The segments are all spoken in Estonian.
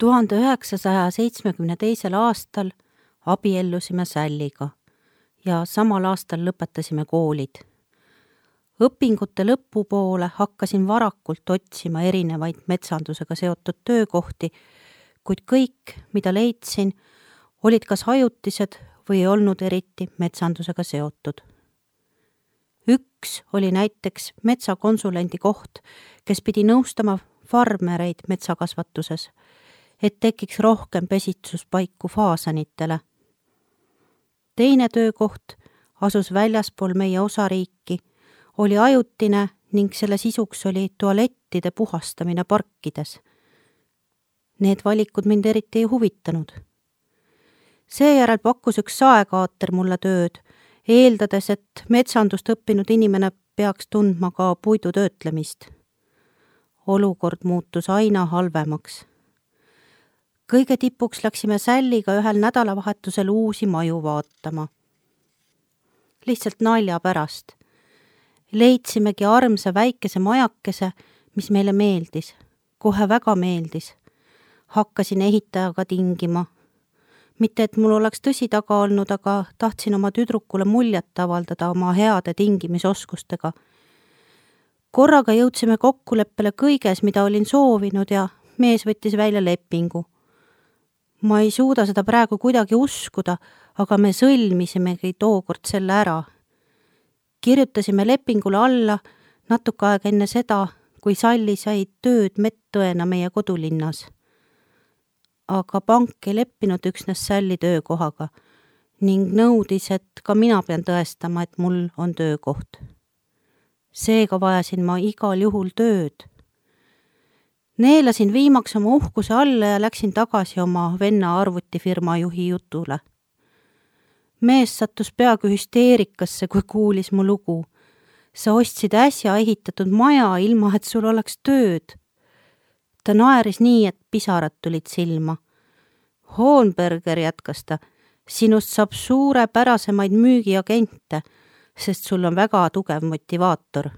1972. aastal abiellusime Sälliga ja samal aastal lõpetasime koolid. Õpingute lõpupoole hakkasin varakult otsima erinevaid metsandusega seotud töökohti, kuid kõik, mida leidsin, olid kas ajutised või ei olnud eriti metsandusega seotud. Üks oli näiteks metsakonsulendi koht, kes pidi nõustama farmereid metsakasvatuses, et tekiks rohkem pesitsuspaiku faasanitele. Teine töökoht asus väljaspool meie osariiki, oli ajutine ning selle sisuks oli tualettide puhastamine parkides. Need valikud mind eriti ei huvitanud. Seejärel pakkus üks saekaater mulle tööd, eeldades, et metsandust õppinud inimene peaks tundma ka puidu töötlemist. Olukord muutus aina halvemaks. Kõige tipuks läksime Sälliga ühel nädalavahetusel uusi maju vaatama. Lihtsalt nalja pärast. Leidsimegi armsa väikese majakese, mis meile meeldis. Kohe väga meeldis. Hakkasin ehitajaga tingima. Mitte, et mul oleks tõsi taga olnud, aga tahtsin oma tüdrukule muljet avaldada oma heade tingimisoskustega. Korraga jõudsime kokkuleppele kõiges, mida olin soovinud ja mees võttis välja lepingu. Ma ei suuda seda praegu kuidagi uskuda, aga me sõlmisimegi tookord selle ära. Kirjutasime lepingule alla natuke aega enne seda, kui Salli sai tööd medõena meie kodulinnas. Aga pank ei leppinud üksnes Sälli töökohaga ning nõudis, et ka mina pean tõestama, et mul on töökoht. Seega vajasin ma igal juhul tööd. Neelasin viimaks oma uhkuse alla ja läksin tagasi oma venna arvutifirma juhi jutule. Mees sattus peaaegu hüsteerikasse, kui kuulis mu lugu. Sa ostsid äsja ehitatud maja, ilma et sul oleks tööd. Ta naeris nii, et pisarad tulid silma. Hohenberger, jätkas ta, sinust saab suurepärasemaid müügiagente, sest sul on väga tugev motivaator.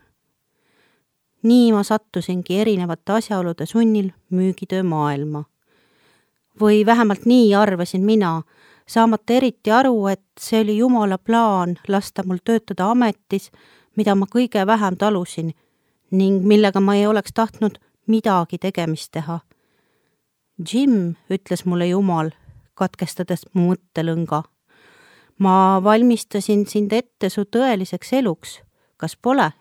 Nii ma sattusingi erinevate asjaolude sunnil müügitöö maailma. Või vähemalt nii arvasin mina, saamata eriti aru, et see oli Jumala plaan lasta mul töötada ametis, mida ma kõige vähem talusin ning millega ma ei oleks tahtnud midagi tegemist teha. Jim, ütles mulle Jumal, katkestades mu mõttelõnga. Ma valmistasin sind ette su tõeliseks eluks, kas pole?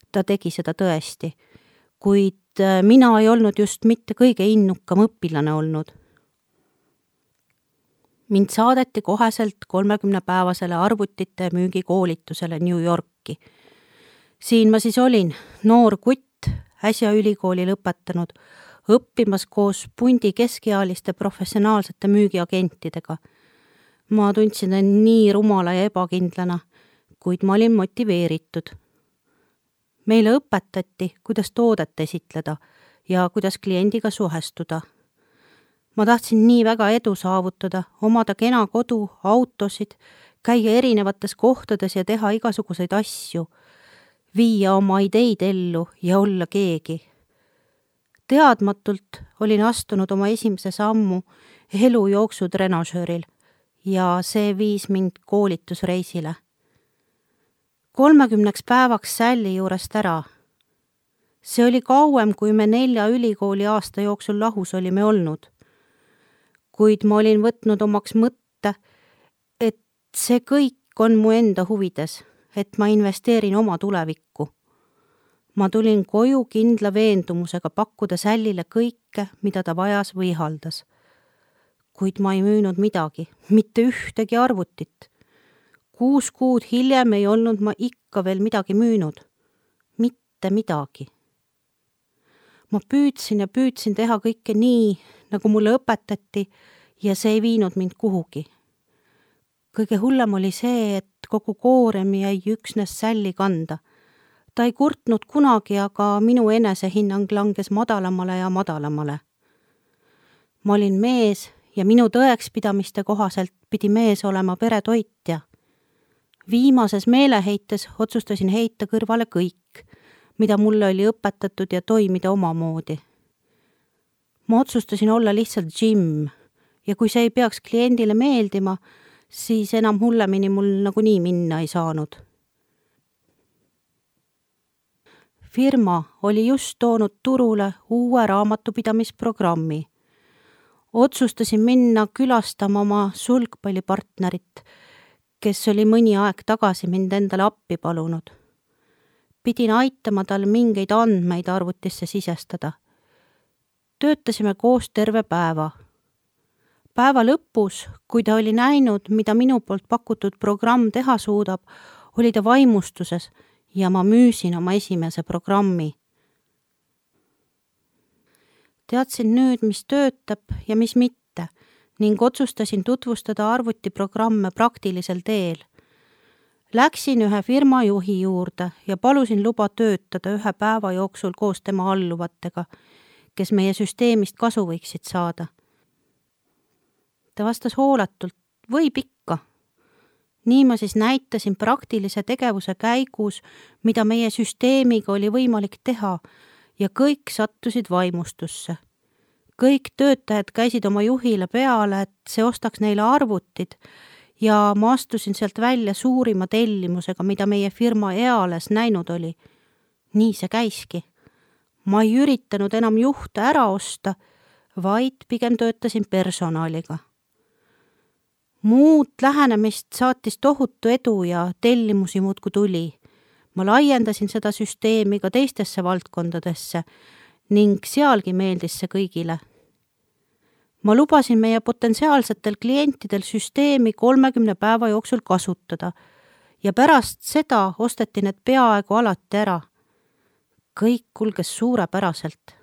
Ta tegi seda tõesti, kuid mina ei olnud just mitte kõige innukam õpilane olnud. Mind saadeti koheselt 30-päevasele arvutite müügikoolitusele New Yorki. Siin ma siis olin, noor kutt, äsja ülikooli lõpetanud, õppimas koos pundi keskealiste professionaalsete müügiagentidega. Ma tundsin end nii rumala ja ebakindlana, kuid ma olin motiveeritud. Meile õpetati, kuidas toodet esitleda ja kuidas kliendiga suhestuda. Ma tahtsin nii väga edu saavutada, omada kena kodu, autosid, käia erinevates kohtades ja teha igasuguseid asju, viia oma ideid ellu ja olla keegi. Teadmatult olin astunud oma esimese sammu elujooksu trenažööril ja see viis mind koolitusreisile. 30 päevaks Sälli juurest ära. See oli kauem, kui me 4 ülikooli aasta jooksul lahus olime olnud. Kuid ma olin võtnud omaks mõtte, et see kõik on mu enda huvides, et ma investeerin oma tulevikku. Ma tulin koju kindla veendumusega pakkuda Sällile kõike, mida ta vajas või haldas. Kuid ma ei müünud midagi, mitte ühtegi arvutit. 6 kuud hiljem ei olnud ma ikka veel midagi müünud. Mitte midagi. Ma püüdsin teha kõike nii, nagu mulle õpetati ja see ei viinud mind kuhugi. Kõige hullem oli see, et kogu koorem jäi üksnes Sälli kanda. Ta ei kurtnud kunagi, aga minu enesehinnang langes madalamale ja madalamale. Ma olin mees ja minu tõekspidamiste kohaselt pidi mees olema peretoitja. Viimases meeleheites otsustasin heita kõrvale kõik, mida mulle oli õpetatud ja toimida omamoodi. Ma otsustasin olla lihtsalt Jim ja kui see ei peaks kliendile meeldima, siis enam hullemini mul nagunii minna ei saanud. Firma oli just toonud turule uue raamatupidamisprogrammi. Otsustasin minna külastama oma sulgpallipartnerit, kes oli mõni aeg tagasi mind endale appi palunud. Pidin aitama tal mingeid andmeid arvutisse sisestada. Töötasime koos terve päeva. Päeva lõpus, kui ta oli näinud, mida minu poolt pakutud programm teha suudab, oli ta vaimustuses ja ma müüsin oma esimese programmi. Teadsin nüüd, mis töötab ja mis mitte ning otsustasin tutvustada arvutiprogramme praktilisel teel. Läksin ühe firma juhi juurde ja palusin luba töötada ühe päeva jooksul koos tema alluvatega, kes meie süsteemist kasu võiksid saada. Ta vastas hooletult, võib ikka. Nii ma siis näitasin praktilise tegevuse käigus, mida meie süsteemiga oli võimalik teha ja kõik sattusid vaimustusse. Kõik töötajad käisid oma juhile peale, et see ostaks neile arvutid ja ma astusin sealt välja suurima tellimusega, mida meie firma eales näinud oli. Nii see käiski. Ma ei üritanud enam juhte ära osta, vaid pigem töötasin personaliga. Muud lähenemist saatis tohutu edu ja tellimusi muudkui tuli. Ma laiendasin seda süsteemi ka teistesse valdkondadesse ning sealgi meeldis see kõigile. Ma lubasin meie potentsiaalsetel klientidel süsteemi 30 päeva jooksul kasutada ja pärast seda osteti need peaaegu alati ära. Kõik kulges suurepäraselt.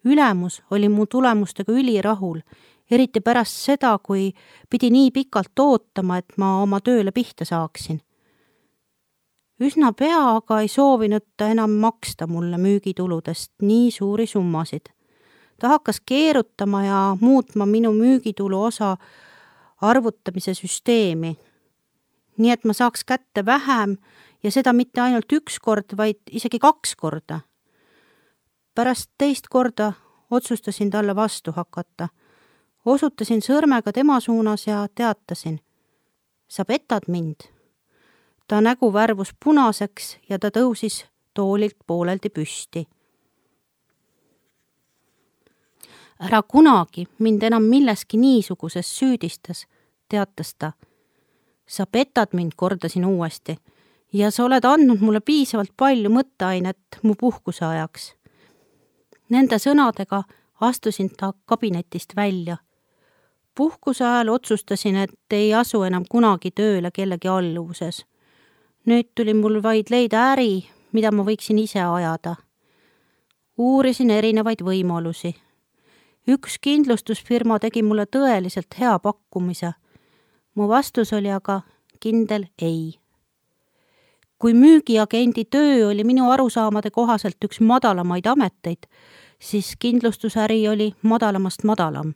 Ülemus oli mu tulemustega ülirahul, eriti pärast seda, kui pidi nii pikalt ootama, et ma oma tööle pihta saaksin. Üsna pea aga ei soovinud ta enam maksta mulle müügituludest nii suuri summasid. Ta hakkas keerutama ja muutma minu müügitulu osa arvutamise süsteemi. Nii et ma saaks kätte vähem ja seda mitte ainult üks kord, vaid isegi 2 korda. Pärast teist korda otsustasin talle vastu hakata. Osutasin sõrmega tema suunas ja teatasin. Sa petad mind. Ta nägu värvus punaseks ja ta tõusis toolilt pooleldi püsti. Ära kunagi mind enam milleski niisuguses süüdistas, teatas ta. Sa petad mind, kordasin uuesti, ja sa oled andnud mulle piisavalt palju mõtteainet mu puhkuse ajaks. Nende sõnadega astusin ta kabinetist välja. Puhkuse ajal otsustasin, et ei asu enam kunagi tööle kellegi alluvuses. Nüüd tuli mul vaid leida äri, mida ma võiksin ise ajada. Uurisin erinevaid võimalusi. Üks kindlustusfirma tegi mulle tõeliselt hea pakkumise. Mu vastus oli aga kindel ei. Kui müügiagendi töö oli minu arusaamade kohaselt üks madalamaid ameteid, siis kindlustusäri oli madalamast madalam.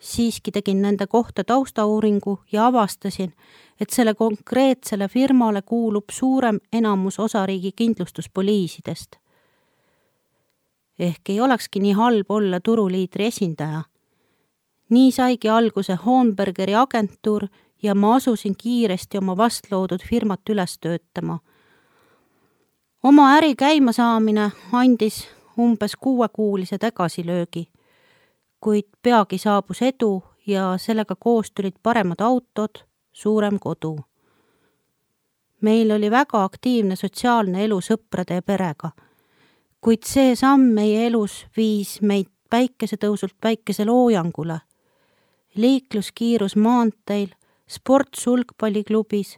Siiski tegin nende kohta taustauuringu ja avastasin, et selle konkreetsele firmale kuulub suurem enamus osariigi kindlustuspoliisidest. Ehk ei olekski nii halb olla turuliidri esindaja. Nii saigi alguse Hornbergeri agentuur ja ma asusin kiiresti oma vastloodud firmat üles töötama. Oma äri käima saamine andis umbes 6-kuulise tagasilöögi, kuid peagi saabus edu ja sellega koos tulid paremad autod, suurem kodu. Meil oli väga aktiivne sotsiaalne elu sõprade ja perega, kuid see samm meie elus viis meid päikesetõusult päikeseloojangule. Liikluskiirus maanteil, sport sulgpalliklubis,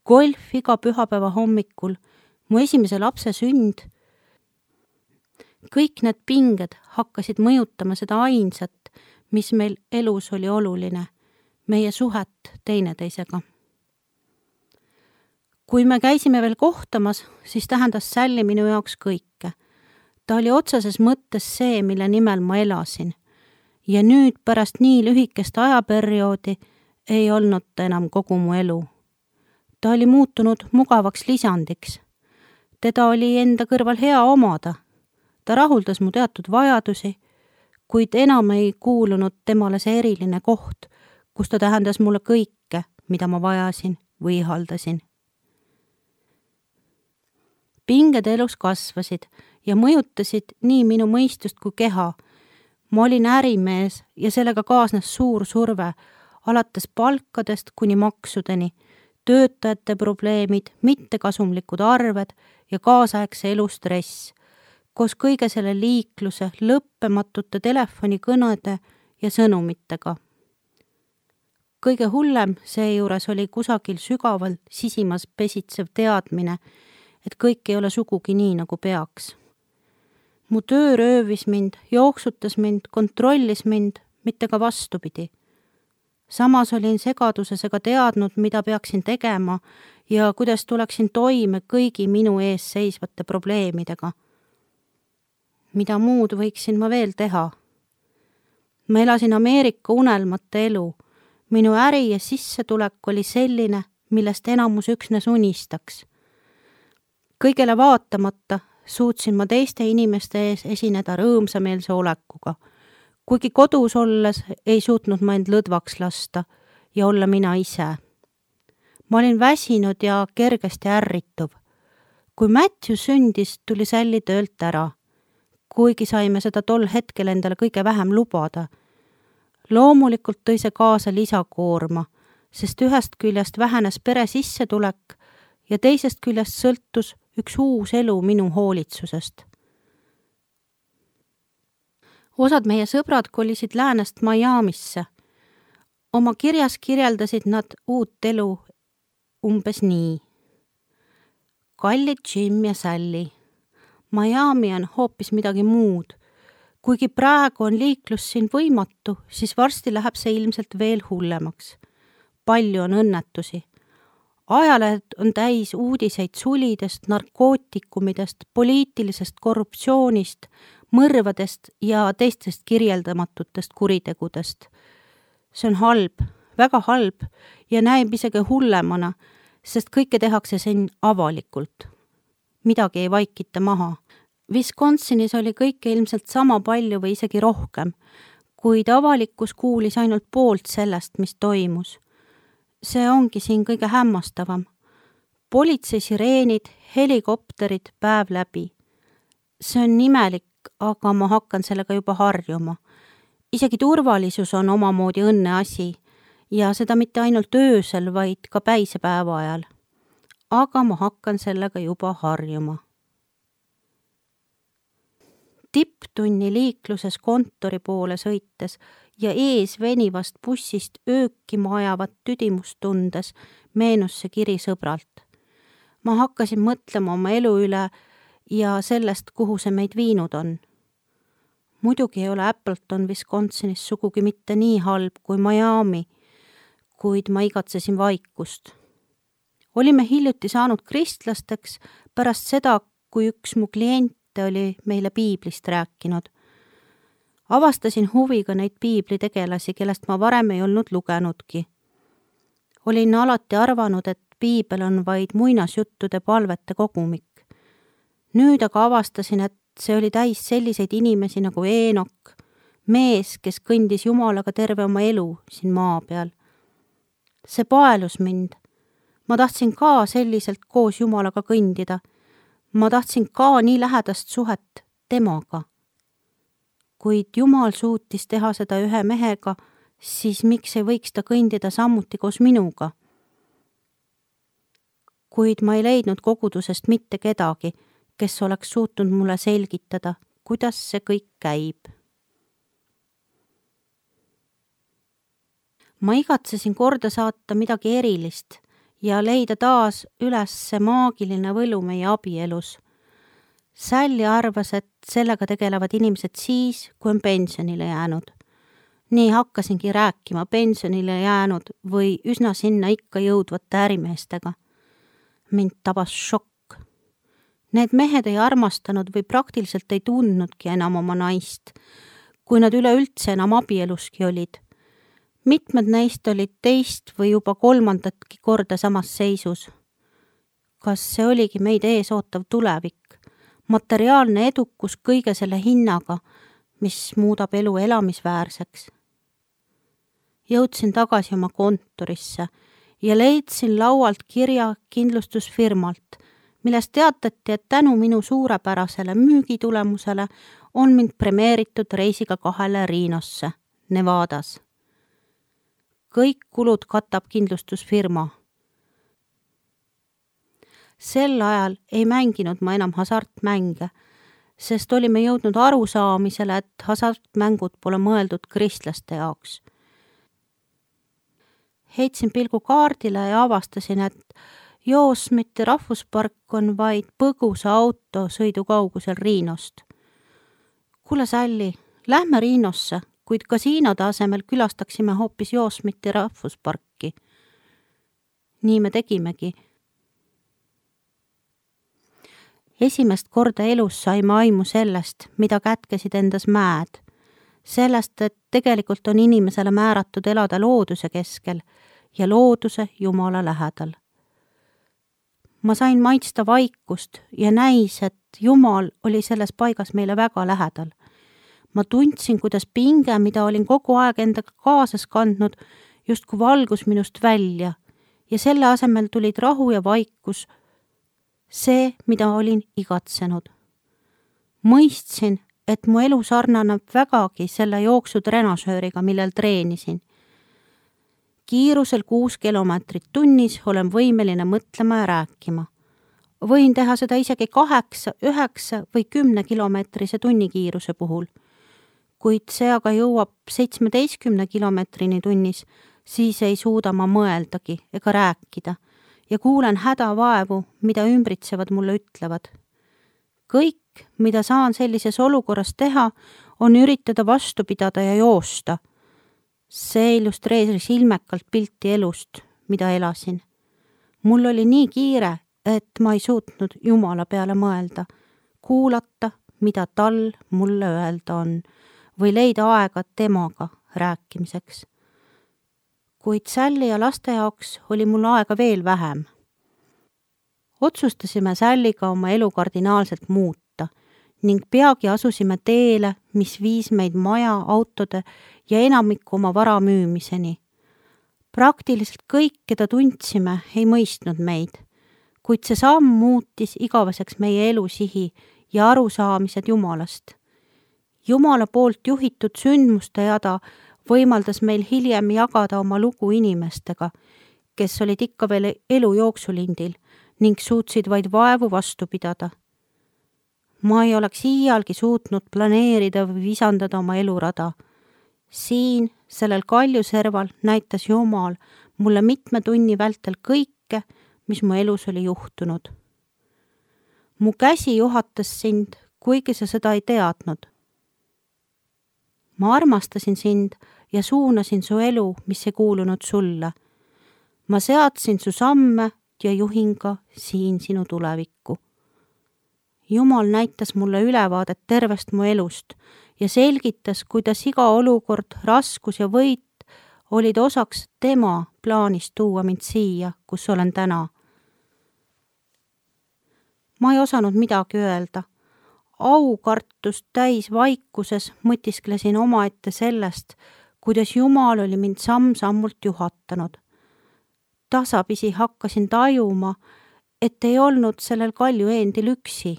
golf iga pühapäeva hommikul, mu esimese lapse sünd. Kõik need pinged hakkasid mõjutama seda ainsat, mis meil elus oli oluline, meie suhet teineteisega. Kui me käisime veel kohtamas, siis tähendas Sally minu jaoks kõike. Ta oli otseses mõttes see, mille nimel ma elasin. Ja nüüd pärast nii lühikest ajaperioodi ei olnud ta enam kogu mu elu. Ta oli muutunud mugavaks lisandiks. Teda oli enda kõrval hea omada. Ta rahuldas mu teatud vajadusi, kuid enam ei kuulunud temale see eriline koht, kus ta tähendas mulle kõike, mida ma vajasin või ihaldasin. Pinged elus kasvasid ja mõjutasid nii minu mõistust kui keha. Ma olin ärimees ja sellega kaasnes suur surve, alates palkadest kuni maksudeni, töötajate probleemid, mittekasumlikud arved ja kaasaegse elu stress, koos kõige selle liikluse, lõppematute telefonikõnede ja sõnumitega. Kõige hullem seejuures oli kusagil sügaval sisimas pesitsev teadmine, et kõik ei ole sugugi nii, nagu peaks. Mu töö röövis mind, jooksutas mind, kontrollis mind, mitte ka vastupidi. Samas olin segaduses ega teadnud, mida peaksin tegema ja kuidas tuleksin toime kõigi minu ees seisvate probleemidega. Mida muud võiksin ma veel teha? Ma elasin Ameerika unelmate elu. Minu äri ja sissetulek oli selline, millest enamus üksnes unistaks. Kõigele vaatamata suutsin ma teiste inimeste ees esineda rõõmsameelse olekuga. Kuigi kodus olles ei suutnud ma end lõdvaks lasta ja olla mina ise. Ma olin väsinud ja kergesti ärrituv. Kui Matthew sündis, tuli Sally töölt ära. Kuigi saime seda tol hetkel endale kõige vähem lubada. Loomulikult tõi see kaasa lisakoorma, sest ühest küljest vähenes pere sissetulek ja teisest küljest sõltus üks uus elu minu hoolitsusest. Osad meie sõbrad kolisid läänest Miamisse. Oma kirjas kirjeldasid nad uut elu umbes nii. Kallid Jim ja Sally. Miami on hoopis midagi muud. Kuigi praegu on liiklus siin võimatu, siis varsti läheb see ilmselt veel hullemaks. Palju on õnnetusi. Ajalehed on täis uudiseid sulidest, narkootikumidest, poliitilisest korruptsioonist, mõrvadest ja teistest kirjeldamatutest kuritegudest. See on halb, väga halb ja näib isegi hullemana, sest kõike tehakse siin avalikult. Midagi ei vaikita maha. Wisconsinis oli kõike ilmselt sama palju või isegi rohkem, kuid avalikkus kuulis ainult poolt sellest, mis toimus. See ongi siin kõige hämmastavam. Politsei sireenid, helikopterid päev läbi. See on imelik, aga ma hakkan sellega juba harjuma. Isegi turvalisus on omamoodi õnne asi ja seda mitte ainult öösel, vaid ka päisepäeva ajal. Aga ma hakkan sellega juba harjuma. Tipptunni liikluses kontori poole sõites ja ees venivast bussist öökima ajavat tüdimust tundes meenus see kiri sõbralt. Ma hakkasin mõtlema oma elu üle ja sellest, kuhu see meid viinud on. Muidugi ei ole Appleton Wisconsinis sugugi mitte nii halb kui Miami, kuid ma igatsesin vaikust. Olime hiljuti saanud kristlasteks pärast seda, kui üks mu kliente oli meile piiblist rääkinud. Avastasin huviga neid piiblitegelasi, kellest ma varem ei olnud lugenudki. Olin alati arvanud, et piibel on vaid muinasjuttude palvete kogumik. Nüüd aga avastasin, et see oli täis selliseid inimesi nagu Eenok, mees, kes kõndis Jumalaga terve oma elu siin maa peal. See paelus mind. Ma tahtsin ka selliselt koos Jumalaga kõndida. Ma tahtsin ka nii lähedast suhet temaga. Kuid Jumal suutis teha seda ühe mehega, siis miks ei võiks ta kõndida samuti koos minuga? Kuid ma ei leidnud kogudusest mitte kedagi, kes oleks suutnud mulle selgitada, kuidas see kõik käib. Ma igatsesin korda saata midagi erilist ja leida taas üles see maagiline võlu meie abielus. Sally arvas, et sellega tegelevad inimesed siis, kui on pensionile jäänud. Nii hakkasingi rääkima pensionile jäänud või üsna sinna ikka jõudvate ärimeestega. Mind tabas šokk. Need mehed ei armastanud või praktiliselt ei tundnudki enam oma naist, kui nad üleüldse enam abieluski olid. Mitmed neist olid teist või juba kolmandatki korda samas seisus. Kas see oligi meid ees ootav tulevik? Materiaalne edukus kõige selle hinnaga mis muudab elu elamisväärseks. Jõudsin tagasi oma kontorisse ja leidsin laualt kirja kindlustusfirmalt, milles teatati, et tänu minu suurepärasele müügitulemusele on mind premeeritud reisiga 2 Renosse, Nevadas. Kõik kulud katab kindlustusfirma. Sel ajal ei mänginud ma enam hasartmänge, sest olime jõudnud arusaamisele, et hasartmängud pole mõeldud kristlaste jaoks. Heitsin pilgu kaardile ja avastasin, et Yosemite rahvuspark on vaid põgusa autosõidu kaugusel Renost. Kuule Sally, lähme Renosse, kuid kasiinode asemel külastaksime hoopis Yosemite rahvusparki. Nii me tegimegi. Esimest korda elus saime aimu sellest, mida kätkesid endas mäed. Sellest, et tegelikult on inimesele määratud elada looduse keskel ja looduse Jumala lähedal. Ma sain maitsta vaikust ja näis, et Jumal oli selles paigas meile väga lähedal. Ma tundsin, kuidas pinge, mida olin kogu aeg endaga kaasas kandnud, justkui valgus minust välja ja selle asemel tulid rahu ja vaikus, see, mida olin igatsenud. Mõistsin, et mu elu sarnaneb vägagi selle jooksutrenasööriga, millel treenisin. Kiirusel 6 kilomeetrit tunnis olen võimeline mõtlema ja rääkima. Võin teha seda isegi 8, 9 või 10 kilomeetrise tunnikiiruse puhul. Kuid see aga jõuab 17 kilomeetrini tunnis, siis ei suuda ma mõeldagi ega rääkida ja kuulen hädavaevu, mida ümbritsevad mulle ütlevad. Kõik, mida saan sellises olukorras teha, on üritada vastu pidada ja joosta. See illustreeris ilmekalt pilti elust, mida elasin. Mul oli nii kiire, et ma ei suutnud Jumala peale mõelda, kuulata, mida tal mulle öelda on, või leida aega temaga rääkimiseks. Kuid Sally ja laste jaoks oli mul aega veel vähem. Otsustasime Sallyga oma elu kardinaalselt muuta ning peagi asusime teele, mis viis meid maja, autode ja enamiku oma vara müümiseni. Praktiliselt kõik, keda tundsime, ei mõistnud meid, kuid see samm muutis igaveseks meie elusihi ja arusaamised Jumalast. Jumala poolt juhitud sündmuste jada võimaldas meil hiljem jagada oma lugu inimestega, kes olid ikka veel elu jooksulindil ning suutsid vaid vaevu vastu pidada. Ma ei oleks iialgi suutnud planeerida või visandada oma elurada. Siin, sellel kaljuserval, näitas Jumal mulle mitme tunni vältel kõike, mis mu elus oli juhtunud. Mu käsi juhatas sind, kuigi sa seda ei teadnud. Ma armastasin sind ja suunasin su elu, mis ei kuulunud sulle. Ma seadsin su samme ja juhin ka siin sinu tulevikku. Jumal näitas mulle ülevaadet tervest mu elust ja selgitas, kuidas iga olukord, raskus ja võit olid osaks tema plaanist tuua mind siia, kus olen täna. Ma ei osanud midagi öelda. Aukartust täis vaikuses mõtisklesin omaette sellest, kuidas Jumal oli mind samm-sammult juhatanud. Tasapisi hakkasin tajuma, et ei olnud sellel kalju eendil üksi.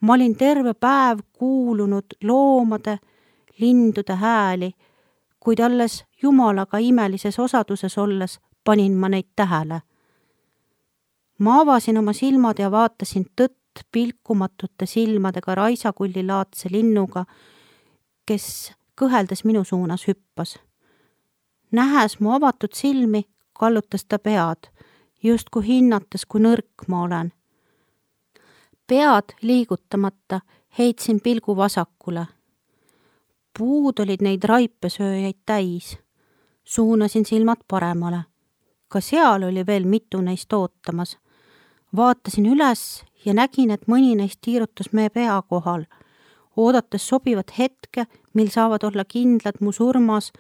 Ma olin terve päev kuulunud loomade, lindude hääli, kuid alles Jumalaga imelises osaduses olles panin ma neid tähele. Ma avasin oma silmad ja vaatasin tõtt pilkumatute silmadega raisakullilaadse linnuga, kes kõheldes minu suunas hüppas. Nähes mu avatud silmi, kallutas ta pead, justkui hinnates, kui nõrk ma olen. Pead liigutamata heitsin pilgu vasakule. Puud olid neid raipesööjaid täis. Suunasin silmad paremale. Ka seal oli veel mitu neist ootamas. Vaatasin üles ja nägin, et mõni neist tiirutas meie pea kohal, oodates sobivat hetke, mil saavad olla kindlad mu surmas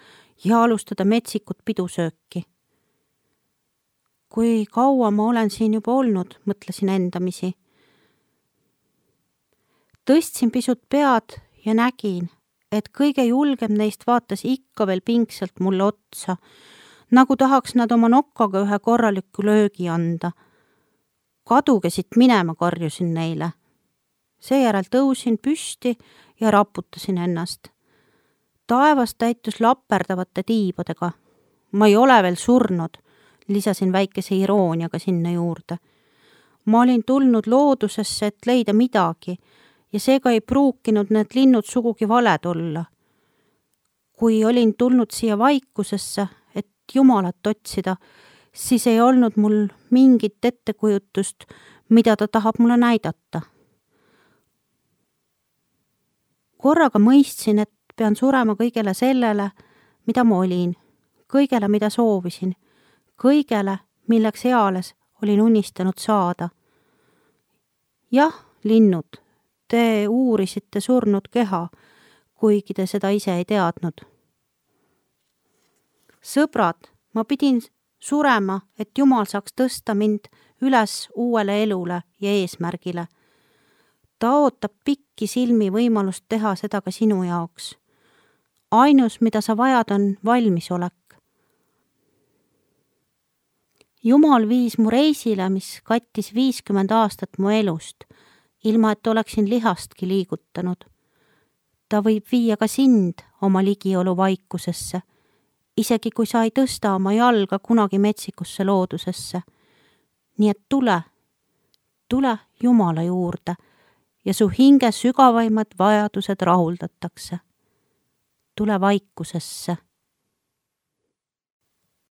ja alustada metsikut pidusööki. Kui kaua ma olen siin juba olnud, mõtlesin endamisi. Tõstsin pisut pead ja nägin, et kõige julgem neist vaatas ikka veel pingsalt mulle otsa, nagu tahaks nad oma nokkaga ühe korraliku löögi anda. Kaduge siit minema, karjusin neile. Seejärel tõusin püsti ja raputasin ennast. Taevas täitus laperdavate tiibadega. Ma ei ole veel surnud, lisasin väikese irooniaga sinna juurde. Ma olin tulnud loodusesse, et leida midagi ja seega ei pruukinud need linnud sugugi valed olla. Kui olin tulnud siia vaikusesse, et Jumalat otsida, siis ei olnud mul mingit ettekujutust, mida ta tahab mulle näidata. Korraga mõistsin, et pean surema kõigele sellele, mida ma olin, kõigele, mida soovisin, kõigele, milleks eales olin unistanud saada. Jah, linnud, te uurisite surnud keha, kuigi te seda ise ei teadnud. Sõbrad, ma pidin surema, et Jumal saaks tõsta mind üles uuele elule ja eesmärgile. Ta ootab pikki silmi võimalust teha seda ka sinu jaoks. Ainus, mida sa vajad, on valmisolek. Jumal viis mu reisile, mis kattis 50 aastat mu elust, ilma et oleksin lihastki liigutanud. Ta võib viia ka sind oma ligiolu vaikusesse, isegi kui sa ei tõsta oma jalga kunagi metsikusse loodusesse. Nii et tule Jumala juurde ja su hinge sügavaimad vajadused rahuldatakse. Tule vaikusesse.